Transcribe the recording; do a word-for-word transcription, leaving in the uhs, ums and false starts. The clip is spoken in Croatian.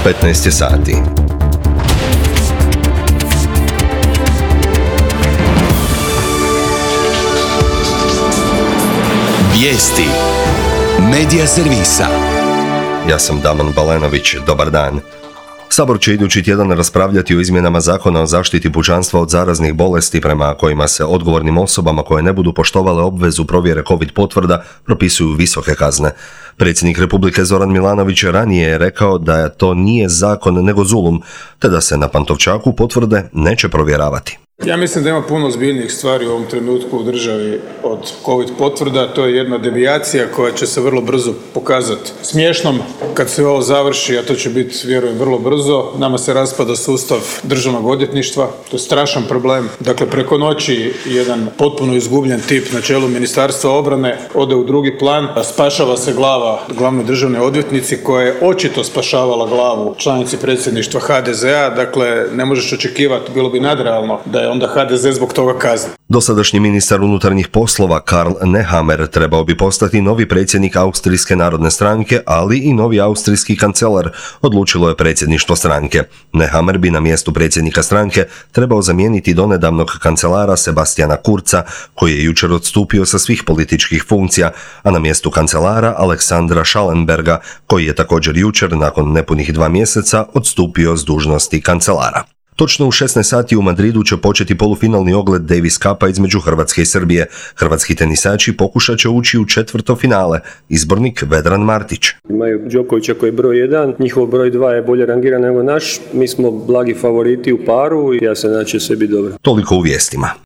petnaest je sati. Vijesti Medija servisa. Ja sam Damon Balenović, dobar dan. Sabor će idući tjedan raspravljati o izmjenama Zakona o zaštiti pučanstva od zaraznih bolesti prema kojima se odgovornim osobama koje ne budu poštovale obvezu provjere COVID potvrda propisuju visoke kazne. Predsjednik Republike Zoran Milanović ranije je rekao da to nije zakon nego zulum, te da se na Pantovčaku potvrde neće provjeravati. Ja mislim da ima puno ozbiljnijih stvari u ovom trenutku u državi od COVID potvrda. To je jedna devijacija koja će se vrlo brzo pokazati smiješnom kad se ovo završi, a to će biti, vjerujem, vrlo brzo. Nama se raspada sustav državnog odvjetništva. To je strašan problem. Dakle, preko noći jedan potpuno izgubljen tip na čelu Ministarstva obrane ode u drugi plan. Spašava se glava glavne državne odvjetnici koja je očito spašavala glavu članici predsjedništva ha de zea. Dakle, ne možeš očekivati, bilo bi nadrealno da je onda ha de ze zbog toga kazni. Dosadašnji ministar unutarnjih poslova Karl Nehammer trebao bi postati novi predsjednik Austrijske narodne stranke, ali i novi austrijski kancelar, odlučilo je predsjedništvo stranke. Nehammer bi na mjestu predsjednika stranke trebao zamijeniti donedavnog kancelara Sebastiana Kurza, koji je jučer odstupio sa svih političkih funkcija, a na mjestu kancelara Aleksandra Schallenberga, koji je također jučer, nakon nepunih dva mjeseca, odstupio s dužnosti kancelara. Točno u šesnaest sati u Madridu će početi polufinalni ogled Davis Cupa između Hrvatske i Srbije. Hrvatski tenisači pokušat će ući u četvrto finale. Izbornik Vedran Martić. Imaju Đokovića koji je broj jedan, njihov broj dva je bolje rangiran nego naš. Mi smo blagi favoriti u paru i ja se nadam će sve biti dobro. Toliko u vijestima.